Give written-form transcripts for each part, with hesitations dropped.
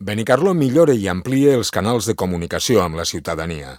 Benicarló millora i amplia els canals de comunicació amb la ciutadania.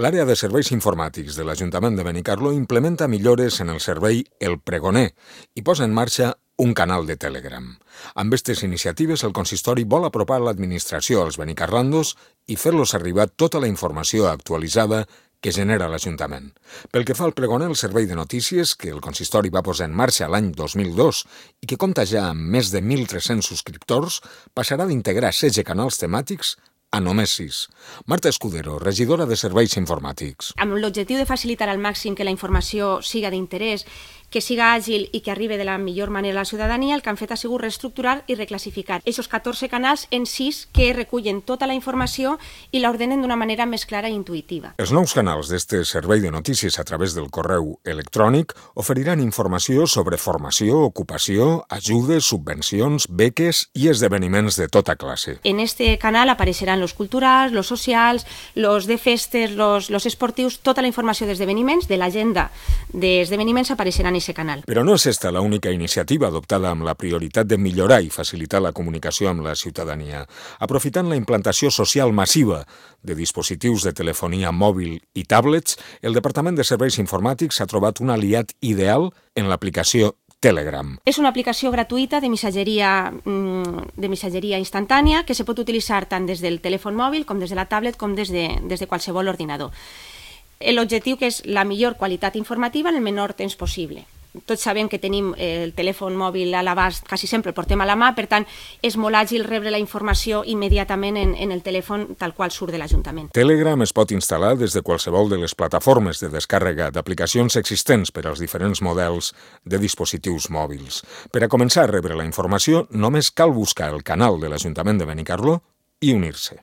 L'àrea de serveis informàtics de l'Ajuntament de Benicarló implementa millores en el servei El Pregoner i posa en marxa un canal de Telegram. Amb aquestes iniciatives, el consistori vol apropar l'administració als benicarlandos i fer-los arribar tota la informació actualitzada que genera l'Ajuntament. Pel que fa al Pregoner, el servei de notícies, que el consistori va posar en marxa l'any 2002 i que compta ja amb més de 1.300 subscriptors, passarà d'integrar 16 canals temàtics a només 6. Marta Escudero, regidora de Serveis Informàtics. Amb l'objectiu de facilitar al màxim que la informació siga d'interès, que siga àgil i que arribi de la millor manera a la ciutadania, el que han fet ha sigut reestructurar i reclassificar aquests 14 canals en 6 que recullen tota la informació i l'ordenen d'una manera més clara i intuïtiva. Els nous canals d'este servei de notícies a través del correu electrònic oferiran informació sobre formació, ocupació, ajudes, subvencions, beques i esdeveniments de tota classe. En este canal apareixeran los culturals, los socials, los de festes, los esportius, tota la informació d'esdeveniments, de l'agenda d'esdeveniments apareixerà en aquest canal. Però no és esta l'única iniciativa adoptada amb la prioritat de millorar i facilitar la comunicació amb la ciutadania. Aprofitant la implantació social massiva de dispositius de telefonia mòbil i tablets, el Departament de Serveis Informàtics ha trobat un aliat ideal en l'aplicació Telegram. És una aplicació gratuïta de missatgeria instantània que se pot utilitzar tant des del telèfon mòbil com des de la tablet com des de qualsevol ordinador. L'objectiu que és la millor qualitat informativa en el menor temps possible. Tots sabem que tenim el telèfon mòbil a l'abast, quasi sempre el portem a la mà, per tant, és molt àgil rebre la informació immediatament en el telèfon tal qual surt de l'Ajuntament. Telegram es pot instal·lar des de qualsevol de les plataformes de descàrrega d'aplicacions existents per als diferents models de dispositius mòbils. Per a començar a rebre la informació, només cal buscar el canal de l'Ajuntament de Benicarló i unir-se.